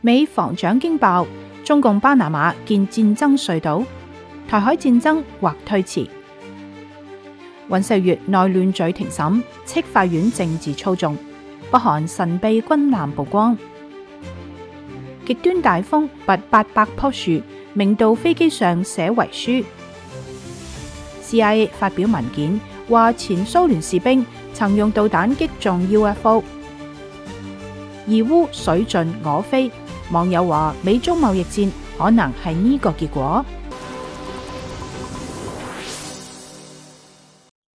美防長驚爆，中共巴拿馬建戰爭隧道，台海戰爭或推遲。尹錫悅內亂罪庭審，斥法院政治操縱。北韓神秘軍艦曝光。極端大風拔800棵樹，明道飛機上寫遺書。CIA 發表文件，話前蘇聯士兵曾用導彈擊中 UFO。俄烏水盡鵝飛，網友話美中貿易戰可能係呢個結果。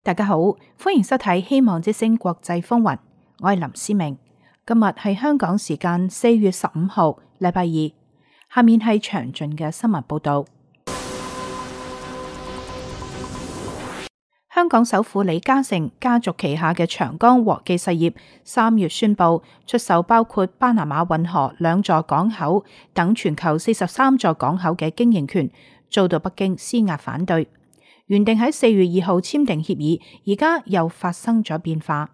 大家好，歡迎收睇《希望之聲國際風雲》，我係林思明。今日係香港時間4月15號，禮拜二。下面係詳盡嘅新聞報道。香港首富李嘉誠家族旗下嘅長江和記實業3月宣布出售包括巴拿馬運河2座港口等全球43座港口嘅經營權，遭到北京施壓反對。原定喺4月2號簽訂協議，而家又發生咗變化。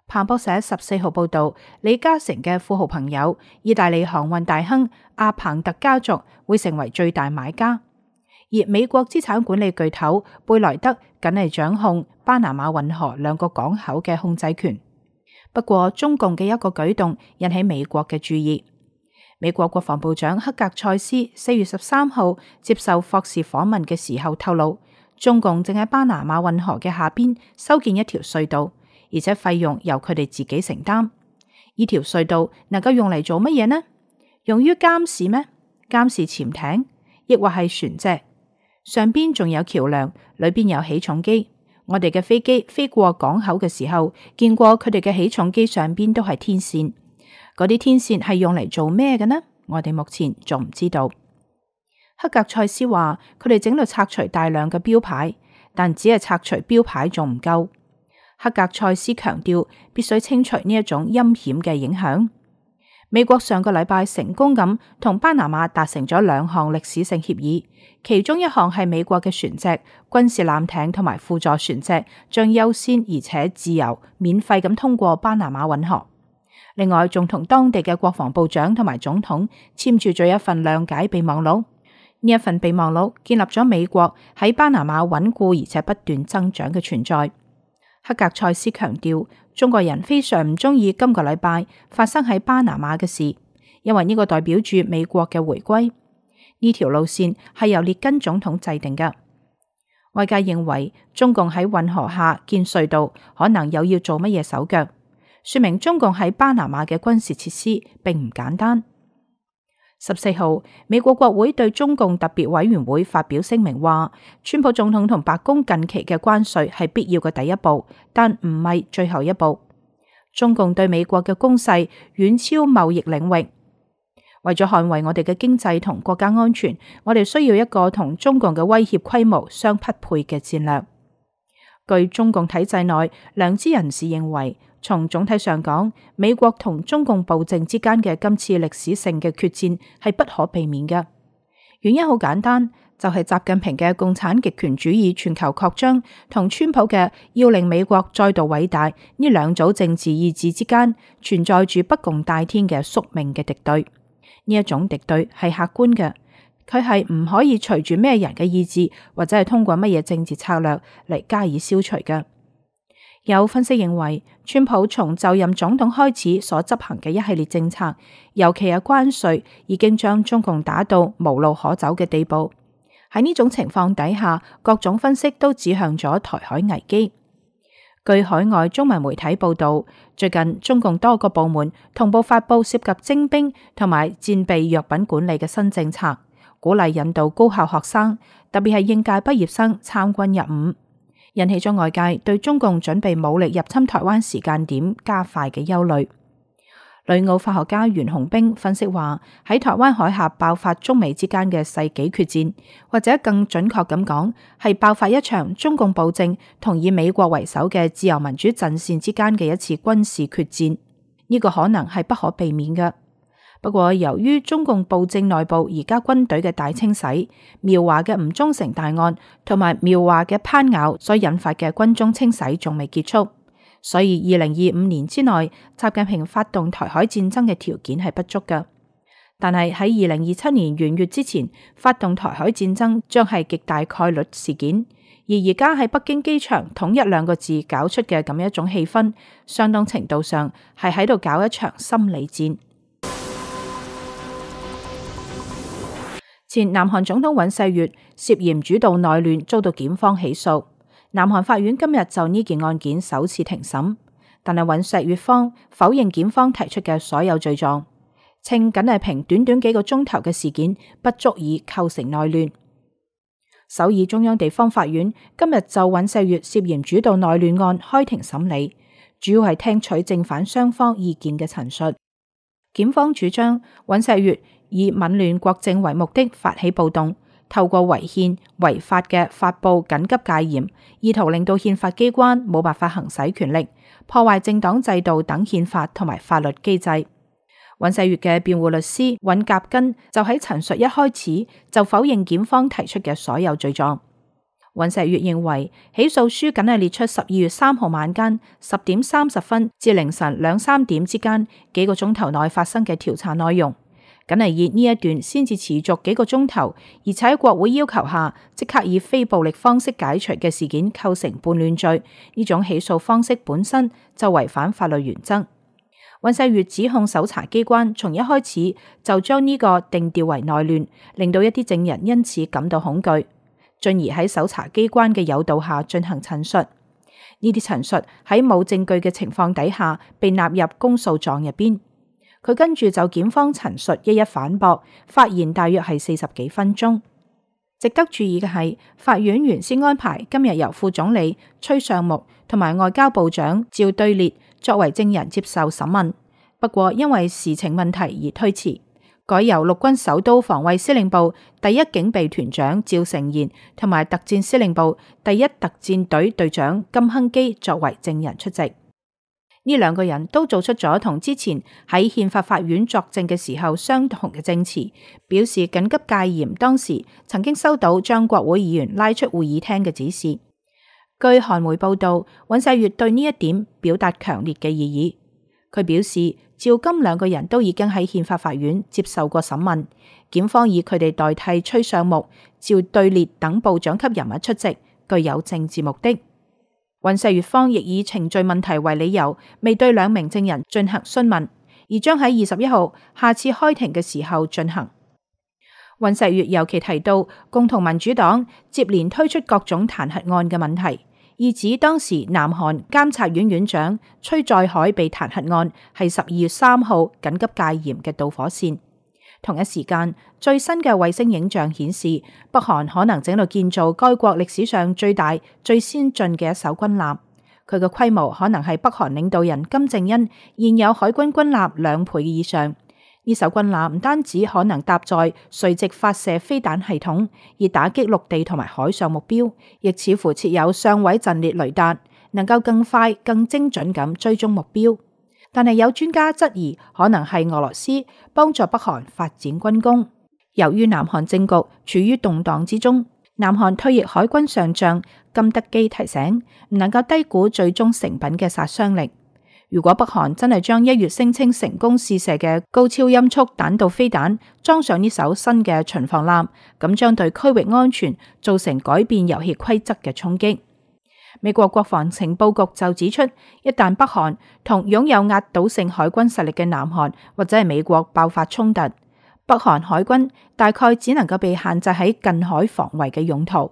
彭博社14號報道，李嘉誠嘅富豪朋友意大利航運大亨阿彭特家族會成為最大買家。而美國資產管理巨頭貝萊德僅係掌控巴拿馬運河2個港口嘅控制權。不過，中共嘅一個舉動引起美國嘅注意。美國國防部長克格塞斯4月13號接受霍士訪問嘅時候透露，中共正喺巴拿馬運河嘅下邊修建一條隧道，而且費用由佢哋自己承擔。呢條隧道能夠用嚟做乜嘢呢？用於監視咩？監視潛艇，亦或係船隻？上邊仲有橋樑，裏邊有起重機。我哋嘅飛機飛過港口嘅時候，見過佢哋嘅起重機上邊都係天線。嗰啲天線係用嚟做咩嘅呢？我哋目前仲唔知道。克格塞斯話，佢哋正喺度拆除大量嘅標牌，但只係拆除標牌仲唔夠。克格塞斯強調，必須清除呢一種陰險嘅影響。美國上個禮拜成功咁同巴拿馬達成咗2項歷史性協議，其中一項係美國嘅船隻、軍事艦艇同埋輔助船隻將優先而且自由免費咁通過巴拿馬運河。另外，仲同當地嘅國防部長同埋總統簽署咗一份諒解備忘錄。呢一份備忘錄建立咗美國喺巴拿馬穩固而且不斷增長嘅存在。克格塞斯強調，中國人非常唔中意今個禮拜發生喺巴拿馬嘅事，因為呢個代表住美國嘅回歸。呢條路線係由列根總統制定嘅。外界認為中共喺運河下建隧道，可能又要做乜嘢手腳，說明中共喺巴拿馬嘅軍事設施並唔簡單。14號，美國國會對中共特別委員會發表聲明話，川普總統同白宮近期嘅關稅係必要嘅第一步，但唔係最後一步。中共對美國嘅攻勢遠超貿易領域。為咗捍衛我哋嘅經濟同國家安全，我哋需要一個同中共嘅威脅規模相匹配嘅戰略。據中共體制內良知人士認為，從總體上講，美國同中共暴政之間嘅今次歷史性嘅決戰係不可避免嘅。原因好簡單，就係習近平嘅共產極權主義全球擴張同川普嘅要令美國再度偉大呢兩組政治意志之間存在住不共戴天嘅宿命嘅敵對。呢一種敵對係客觀嘅，佢係唔可以隨住咩人嘅意志或者係通過乜嘢政治策略嚟加以消除嘅。有分析認為，川普從就任總統開始所執行嘅一系列政策，尤其係關稅，已經將中共打到無路可走嘅地步。喺呢種情況底下，各種分析都指向咗台海危機。據海外中文媒體報道，最近中共多個部門同步發佈涉及徵兵同埋戰備藥品管理嘅新政策，鼓勵引導高校學生，特別係應屆畢業生參軍入伍，引起咗外界對中共準備武力入侵台灣時間點加快嘅憂慮。旅澳法學家袁洪兵分析話，喺台灣海峽爆發中美之間嘅世紀決戰，或者更準確咁講，係爆發一場中共暴政同以美國為首嘅自由民主陣線之間嘅一次軍事決戰。呢個可能係不可避免嘅。不過，由於中共暴政內部而家軍隊嘅大清洗、苗華嘅唔忠誠大案同埋苗華嘅攀咬所引發嘅軍中清洗仲未結束，所以2025年之內，習近平發動台海戰爭嘅條件係不足嘅。但係喺2027年元月之前發動台海戰爭將係極大概率事件。而家喺北京機場統一兩個字搞出嘅咁一種氣氛，相當程度上係喺度搞一場心理戰。前南韓總統尹錫悅涉嫌主導內亂，遭到檢方起訴。南韓法院今日就呢件案件首次庭審，但係尹錫悅方否認檢方提出嘅所有罪狀，稱僅係憑短短幾個鐘頭嘅事件不足以構成內亂。首爾中央地方法院今日就尹錫悅涉嫌主導內亂案開庭審理，主要係聽取正反雙方意見嘅陳述。檢方主張尹錫悅以紊亂國政為目的發起暴動，透過違憲違法嘅發布緊急戒嚴，意圖令到憲法機關冇辦法行使權力，破壞政黨制度等憲法同埋法律機制。尹錫悅嘅辯護律師尹甲根就喺陳述一開始就否認檢方提出嘅所有罪狀。尹錫悅認為起訴書僅係列出12月3號晚間10點30分至凌晨2、3點之間幾個鐘頭內發生嘅調查內容，僅係以呢一段先至持續幾個鐘頭，而且喺國會要求下即刻以非暴力方式解除嘅事件構成叛亂罪，呢種起訴方式本身就違反法律原則。尹錫悅指控搜查機關從一開始就將呢個定調為內亂，令到一啲證人因此感到恐懼，進而喺搜查機關嘅誘導下進行陳述。呢啲陳述喺冇證據嘅情況底下被納入公訴狀入邊。佢跟住就檢方陳述一一反駁，發言大約係40幾分鐘。值得注意嘅係，法院原先安排今日由副總理崔尚木同埋外交部長趙對列作為證人接受審問，不過因為時程問題而推遲，改由陸軍首都防衛司令部第一警備團長趙成賢同埋特戰司令部第一特戰隊隊長金亨基作為證人出席。呢兩個人都做出咗同之前喺憲法法院作證嘅時候相同嘅證詞，表示緊急戒嚴當時曾經收到將國會議員拉出會議廳嘅指示。據韓媒報道，尹錫悅對呢一點表達強烈嘅異議。佢表示趙金兩個人都已經喺憲法法院接受過審問，檢方以佢哋代替崔尚木、趙對列等部長級人物出席，具有政治目的。尹錫悅方亦以程序問題為理由，未對兩名證人進行詢問，而將喺21號下次開庭嘅時候進行。尹錫悅尤其提到共同民主黨接連推出各種彈劾案嘅問題，意指當時南韓監察院院長崔在海被彈劾案係12月3號緊急戒嚴嘅導火線。同一時間，最新嘅衛星影像顯示，北韓可能正喺度建造該國歷史上最大、最先進嘅一艘軍艦。佢嘅規模可能係北韓領導人金正恩現有海軍軍艦2倍以上。呢艘軍艦唔單止可能搭載垂直發射飛彈系統，以打擊陸地同埋海上目標，亦似乎設有上位陣列雷達，能夠更快、更精準咁追蹤目標。但係有專家質疑，可能係俄羅斯幫助北韓發展軍工。由於南韓政局處於動盪之中，南韓退役海軍上將金德基提醒，唔能夠低估最終成品嘅殺傷力。如果北韓真係將1月聲稱成功試射嘅高超音速彈道飛彈裝上呢艘新嘅巡防艦，咁將對區域安全造成改變遊戲規則嘅衝擊。美國國防情報局就指出，一旦北韓同擁有壓倒性海軍實力嘅南韓或者係美國爆發衝突，北韓海軍大概只能夠被限制喺近海防衛嘅用途。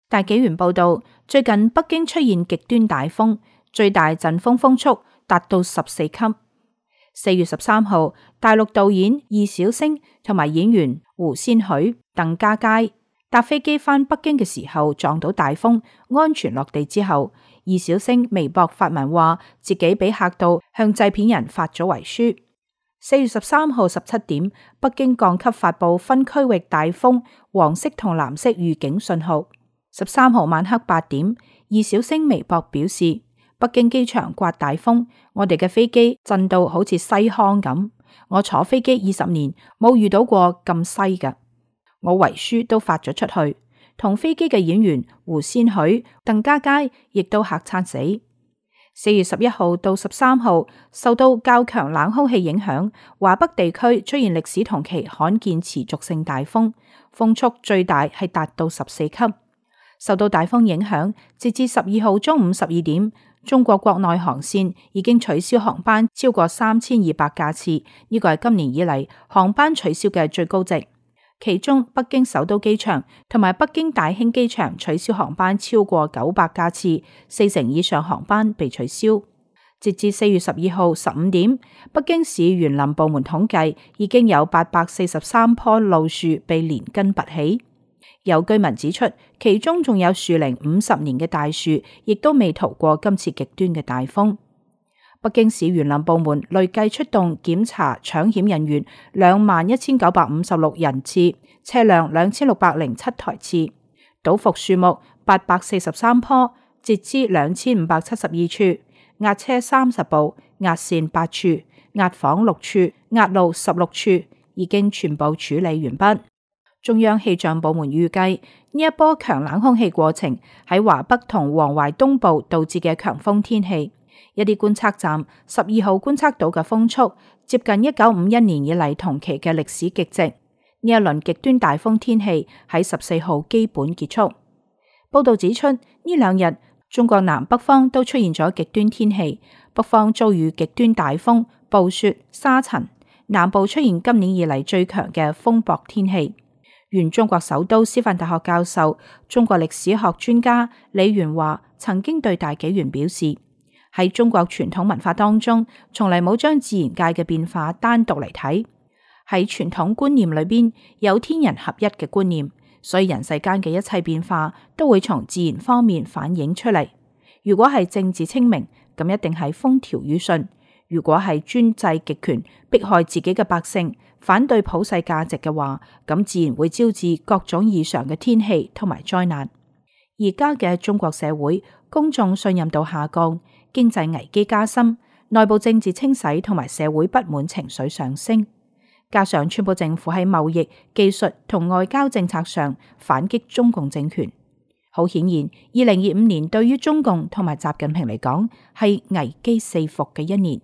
大紀元報道，最近北京出現極端大風，最大陣風風速達到14級。4月13號，大陸導演易小星同埋演員胡先煦、鄧家佳搭飛機返北京嘅時候撞到大風，安全落地之後，易小星微博發文話自己俾嚇到，向製片人發咗遺書。4月13號17點，北京降級發布分區域大風黃色同藍色預警信號。13號晚黑8點，易小星微博表示，北京機場颳大風，我哋嘅飛機震到好似西康咁，我坐飛機20年冇遇到過咁西㗎。我遺書都發咗出去，同飛機嘅演員胡先煦、鄧家佳亦都嚇慘死。4月11號到13號，受到較強冷空氣影響，華北地區出現歷史同期罕見持續性大風，風速最大係達到14級。受到大風影響，截至12號中午12點，中國國內航線已經取消航班超過3200架次，呢個係今年以嚟航班取消嘅最高值。其中北京首都機場同埋北京大興機場取消航班超過900架次，40%以上航班被取消。截至4月12號15點，北京市園林部門統計已經有843棵老樹被連根拔起。有居民指出，其中仲有樹齡50年嘅大樹，亦都未逃過今次極端嘅大風。北京市園林部門累計出動檢查搶險人員21956人次，車輛2607台次，倒伏樹木843棵，截枝2572處，壓車30部，壓線8處，壓房6處，壓路16處，已經全部處理完畢。中央氣象部門預計，呢一波強冷空氣過程喺華北同黃淮東部導致嘅強風天氣。一啲觀測站12號觀測到嘅風速接近1951年以嚟同期嘅歷史極值。呢一輪極端大風天氣喺14號基本結束。報道指出，呢兩日中國南北方都出現咗極端天氣，北方遭遇極端大風、暴雪、沙塵，南部出現今年以嚟最強嘅風雹天氣。原中國首都師範大學教授、中國歷史學專家李元華曾經對大紀元表示，喺中國傳統文化當中，從嚟冇將自然界嘅變化單獨嚟睇。喺傳統觀念裏邊有天人合一嘅觀念，所以人世間嘅一切變化都會從自然方面反映出嚟。如果係政治清明，咁一定係風調雨順；如果係專制極權，迫害自己嘅百姓，反對普世價值嘅話，咁自然會招致各種異常嘅天氣同埋災難。而家嘅中國社會，公眾信任度下降，經濟危機加深，內部政治清洗同埋社會不滿情緒上升，加上川普政府喺貿易、技術同外交政策上反擊中共政權，好顯然，2025年對於中共同埋習近平嚟講係危機四伏嘅一年。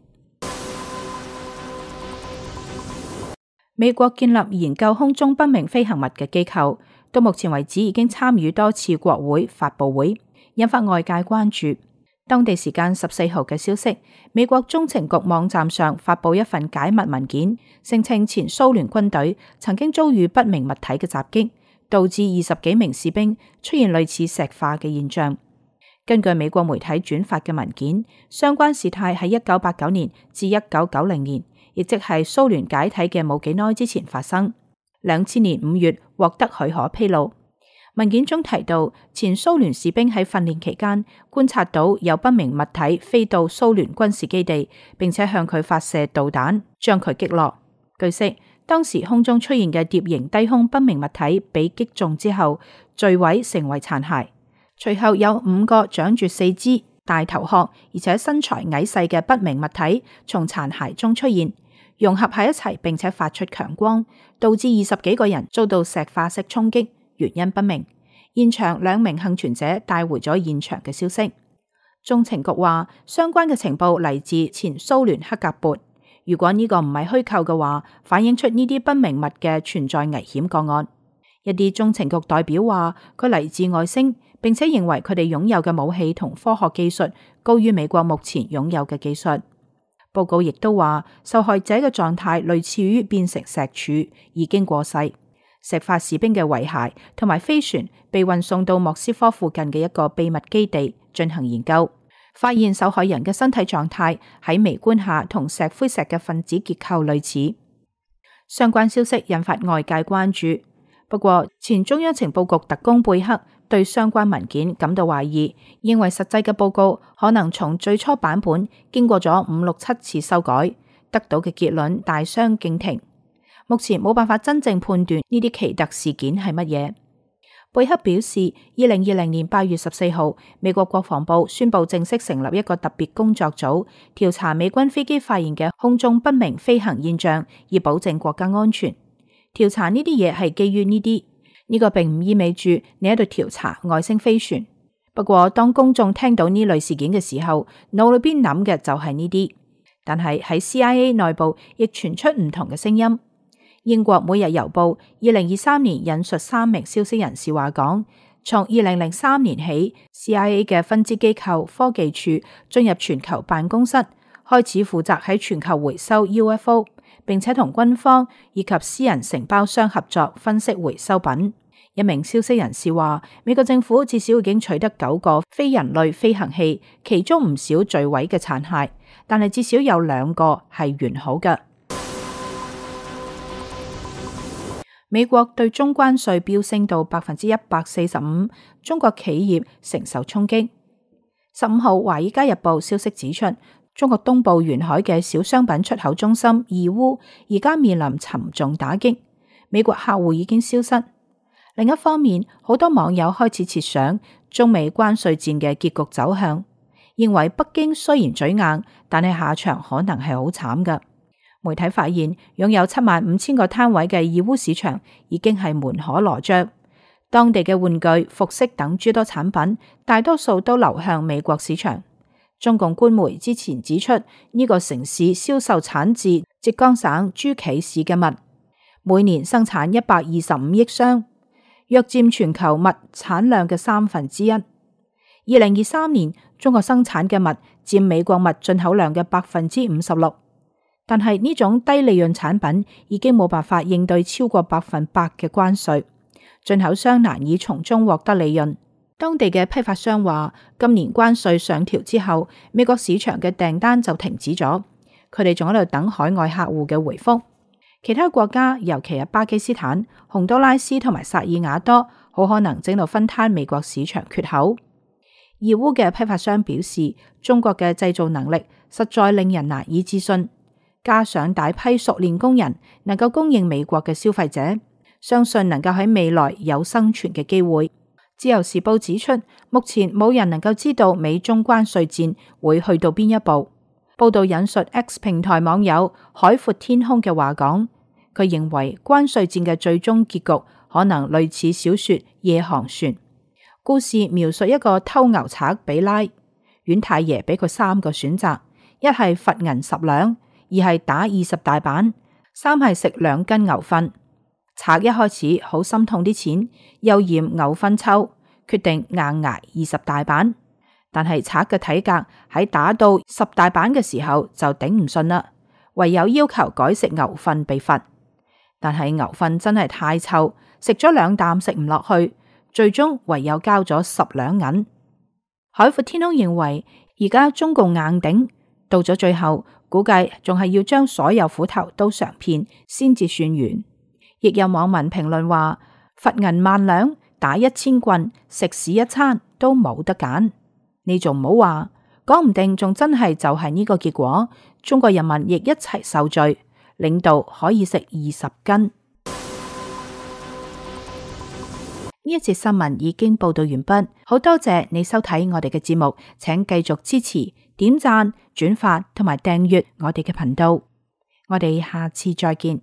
美國建立研究空中不明飛行物嘅機構，到目前為止已經參與多次國會發佈會，引發外界關注。當地時間14號嘅消息，美國中情局網站上發佈一份解密文件，聲稱前蘇聯軍隊曾經遭遇不明物體嘅襲擊，導致20幾名士兵出現類似石化嘅現象。根據美國媒體轉發嘅文件，相關事態喺1989年至1990年，亦即係蘇聯解體嘅冇幾耐之前發生。2000年5月獲得許可披露。文件中提到，前蘇聯士兵喺訓練期間觀察到有不明物體飛到蘇聯軍事基地，並且向佢發射導彈，將佢擊落。據悉，當時空中出現嘅碟形低空不明物體被擊中之後墜毀成為殘骸，隨後有5個長住4肢、大頭殼而且身材矮細嘅不明物體從殘骸中出現，融合喺一齊，並且發出強光，導致20幾個人遭到石化式衝擊，原因不明。現場2名幸存者帶回咗現場嘅消息。中情局話，相關嘅情報嚟自前蘇聯克格勃。如果呢個唔係虛構嘅話，反映出呢啲不明物嘅存在危險個案。一啲中情局代表話，佢嚟自外星，並且認為佢哋擁有嘅武器同科學技術高於美國目前擁有嘅技術。報告亦都話，受害者嘅狀態類似於變成石柱，已經過世。石化士兵嘅遺骸同埋飛船被運送到莫斯科附近嘅一個秘密基地進行研究，發現受害人嘅身體狀態喺微觀下同石灰石嘅分子結構類似。相關消息引發外界關注。不過，前中央情報局特工貝克對相關文件感到懷疑，認為實際嘅報告可能從最初版本經過咗5、6、7次修改，得到嘅結論大相徑庭。目前冇辦法真正判斷呢啲奇特事件係乜嘢。貝克表示，2020年8月14號，美國國防部宣布正式成立一個特別工作組，調查美軍飛機發現嘅空中不明飛行現象，以保證國家安全。調查呢啲嘢係基於呢啲，呢個並唔意味住你喺度調查外星飛船。不過當公眾聽到呢類事件嘅時候，腦裏邊諗嘅就係呢啲。但係喺 CIA 內部亦傳出唔同嘅聲音。英國每日郵報2023年引述3名消息人士話講，從2003年起 ，CIA 嘅分支機構科技處進入全球辦公室，開始負責喺全球回收 UFO， 並且同軍方以及私人承包商合作分析回收品。一名消息人士話，美國政府至少已經取得9個非人類飛行器，其中唔少墜毀嘅殘骸，但係至少有2個係完好嘅。美國對中關稅飆升到145%，中國企業承受衝擊。15號《華爾街日報》消息指出，中國東部沿海嘅小商品出口中心義烏而家面臨沉重打擊，美國客戶已經消失。另一方面，好多網友開始設想中美關稅戰嘅結局走向，認為北京雖然嘴硬，但係下場可能係好慘㗎。媒體發現，擁有75000個攤位嘅義烏市場已經係門可羅雀，當地嘅玩具、服飾等諸多產品，大多數都流向美國市場。中共官媒之前指出，呢個城市銷售產自浙江省諸暨市嘅襪，每年生產125億箱。約佔全球襪產量嘅1/3。2023年，中國生產嘅襪佔美國襪進口量嘅56%，但係呢種低利潤產品已經冇辦法應對超過100%嘅關稅，進口商難以從中獲得利潤。當地嘅批發商話，今年關稅上調之後，美國市場嘅訂單就停止咗，佢哋仲喺度等海外客戶嘅回覆。其他國家，尤其係巴基斯坦、洪都拉斯同埋薩爾瓦多，好可能正到分攤美國市場缺口。義烏嘅批發商表示，中國嘅製造能力實在令人難以置信，加上大批熟練工人能夠供應美國嘅消費者，相信能夠喺未來有生存嘅機會。自由時報指出，目前冇人能夠知道美中關稅戰會去到邊一步。報道引述 X 平台網友海闊天空嘅話講，佢認為關稅戰嘅最終結局可能類似小說《夜航船》，故事描述一個偷牛賊比拉，阮太爺俾佢3個選擇：一係罰銀10兩，二係打20大板，三係食2斤牛糞。賊一開始好心痛啲錢，又嫌牛糞臭，決定硬挨20大板。但係賊嘅體格喺打到10大板嘅時候就頂唔順啦，唯有要求改食牛糞被罰。但係牛糞真係太臭，食咗2啖食唔落去，最終唯有交咗10兩銀。海闊天空認為，而家中共硬頂，到咗最後，估計仲係要將所有斧頭都嘗遍先至算完。亦有網民評論話，罰銀10000兩，打1000棍，食屎一餐都冇得揀。你仲唔好話，講唔定仲真係就係呢個結果，中國人民亦一齊受罪。領導可以食20斤。呢一節新聞已經報道完畢，好多謝你收睇我哋嘅節目，請繼續支持、點讚、轉發同埋訂閱我哋嘅頻道。我哋下次再見。